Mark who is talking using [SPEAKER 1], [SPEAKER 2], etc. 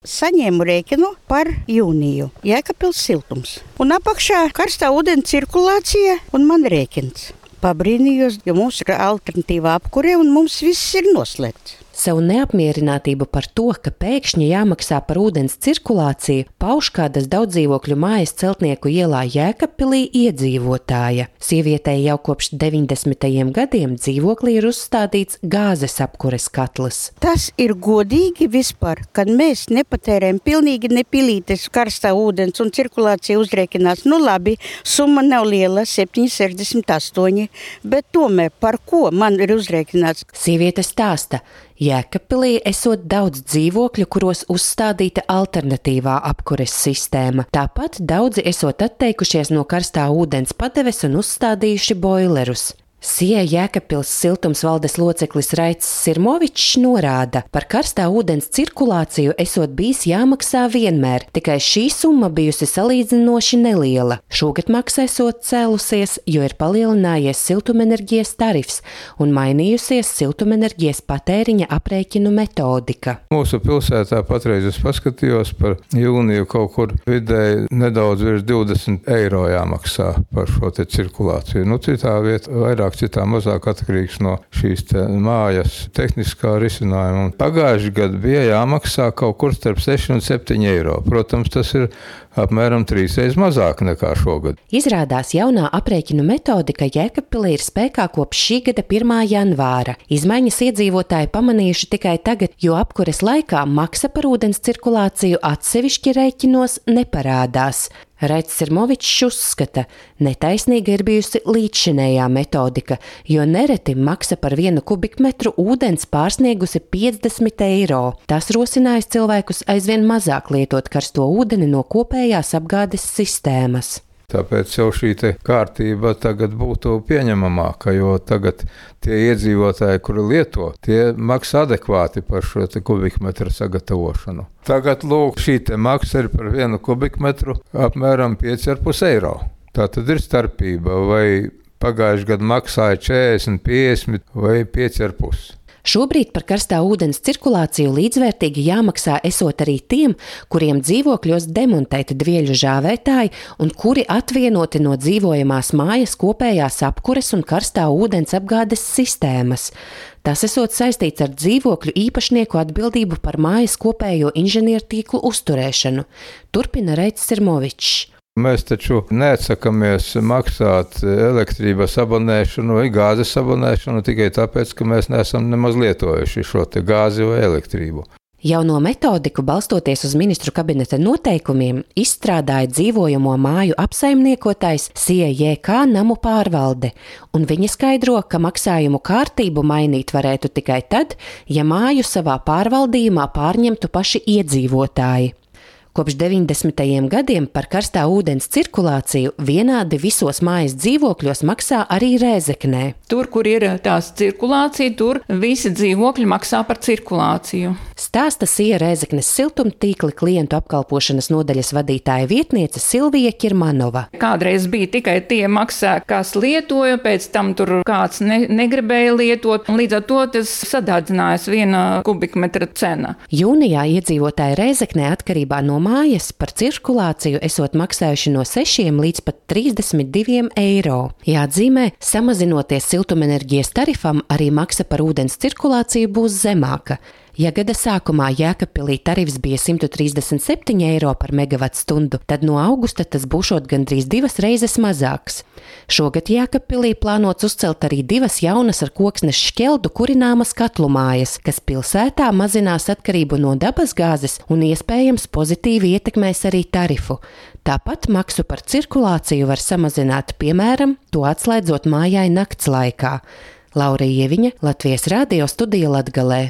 [SPEAKER 1] saņēmu rēķinu par jūniju. Jēkabpils siltums. Un apakšā karstā ūdens cirkulācija un man rēķins. Pabrīnījos, jo mums ir alternatīva apkure un mums viss ir noslēgts.
[SPEAKER 2] Savu neapmierinātību par to, ka pēkšņi jāmaksā par ūdens cirkulāciju, pauž kādas daudzdzīvokļu mājas Celtnieku ielā Jēkabpilī iedzīvotāja. Sievietei jau kopš 90. gadiem dzīvoklī ir uzstādīts gāzes apkures katls.
[SPEAKER 1] Tas ir godīgi vispār, kad mēs nepatērējam pilnīgi nepilītes karstā ūdens un cirkulācija uzrēķinās. Nu labi, summa nav liela, 7,68, bet tomēr par ko man ir uzrēķināts?
[SPEAKER 2] Sieviete stāsta. Jēkabpilī esot daudz dzīvokļu, kuros uzstādīta alternatīvā apkures sistēma. Tāpat daudzi esot atteikušies no karstā ūdens padeves un uzstādījuši boilerus. Sija Jēkabpils siltums valdes loceklis Raicis Sirmovičs norāda, par karstā ūdens cirkulāciju esot bijis jāmaksā vienmēr, tikai šī summa bijusi salīdzinoši neliela. Šogad maksa esot cēlusies, jo ir palielinājies siltumenerģijas tarifs un mainījusies siltumenerģijas patēriņa aprēķinu metodika.
[SPEAKER 3] Mūsu pilsētā patreiz es paskatījos par jūniju kaut kur vidēji nedaudz virs 20 eiro jāmaksā par šo te cirkulāciju. Citā vieta vairāk, citā mazāk atkarīgs no šīs mājas tehniskā risinājuma. Pagājuši gadu bija jāmaksā kaut kur starp 6 un 7 eiro. Protams, tas ir apmēram 3 reizes mazāk nekā šogad.
[SPEAKER 2] Izrādās jaunā aprēķinu metodika Jēkabpilī ir spēkā kopš šī gada 1. janvāra. Izmaiņas iedzīvotāji pamanījuši tikai tagad, jo apkures laikā maksa par ūdens cirkulāciju atsevišķi rēķinos neparādās. Raicis Sirmovičs uzskata, netaisnīga ir bijusi līdzšinējā metodika, jo nereti maksa par 1 kubikmetru ūdens pārsniegusi 50 eiro. Tas rosinājis cilvēkus aizvien mazāk lietot karsto ūdeni no kopējās apgādes sistēmas.
[SPEAKER 3] Tāpēc jau šī kārtība tagad būtu pieņemamāka, jo tagad tie iedzīvotāji, kuri lieto, tie maksā adekvāti par šo kubikmetru sagatavošanu. Tagad lūk, šī maksa ir par 1 kubikmetru apmēram 5,5 eiro. Tā tad ir starpība, vai pagājuši gadu maksāja 40, 50 vai 5,5.
[SPEAKER 2] Šobrīd par karstā ūdens cirkulāciju līdzvērtīgi jāmaksā esot arī tiem, kuriem dzīvokļos demontēti dvieļu žāvētāji un kuri atvienoti no dzīvojamās mājas kopējās apkures un karstā ūdens apgādes sistēmas. Tas esot saistīts ar dzīvokļu īpašnieku atbildību par mājas kopējo inženiertīklu uzturēšanu, turpina Raicis Sirmovičs.
[SPEAKER 3] Mēs taču neatsakamies maksāt elektrības abonēšanu vai gāzes abonēšanu tikai tāpēc, ka mēs neesam nemaz lietojuši šo gāzi vai elektrību.
[SPEAKER 2] Jauno metodiku, balstoties uz ministru kabineta noteikumiem, izstrādāja dzīvojamo māju apsaimniekotājs SIEJK namu pārvalde, un viņi skaidro, ka maksājumu kārtību mainīt varētu tikai tad, ja māju savā pārvaldījumā pārņemtu paši iedzīvotāji. Kopš 90. gadiem par karstā ūdens cirkulāciju vienādi visos mājas dzīvokļos maksā arī Rēzeknē.
[SPEAKER 4] Tur, kur ir tās cirkulācija, tur visi dzīvokļi maksā par cirkulāciju.
[SPEAKER 2] Stāsta Sija Rēzeknes siltumtīkli klientu apkalpošanas nodaļas vadītāja vietniece Silvija Kirmanova.
[SPEAKER 4] Kādreiz bija tikai tie maksā, kas lietoja, pēc tam tur kāds negribēja lietot, un līdz ar to tas sadārdzinājās 1 kubikmetra cena.
[SPEAKER 2] Jūnijā iedzīvotāji Rēzeknē atkarībā no mājas par cirkulāciju esot maksājuši no 6 līdz pat 32 eiro. Jāatzīmē, samazinoties siltumenerģijas tarifam, arī maksa par ūdens cirkulāciju būs zemāka. Ja gada sākumā Jēkabpilī tarifs bija 137 eiro par megavatstundu, tad no augusta tas būšot gandrīz 2 reizes mazāks. Šogad Jēkabpilī plānots uzcelt arī 2 jaunas ar koksnes šķeldu kurināmas katlu mājas, kas pilsētā mazinās atkarību no dabasgāzes un iespējams pozitīvi ietekmēs arī tarifu. Tāpat maksu par cirkulāciju var samazināt, piemēram, to atslēdzot mājai nakts laikā. Laura Ieviņa, Latvijas Radio studija Latgalē.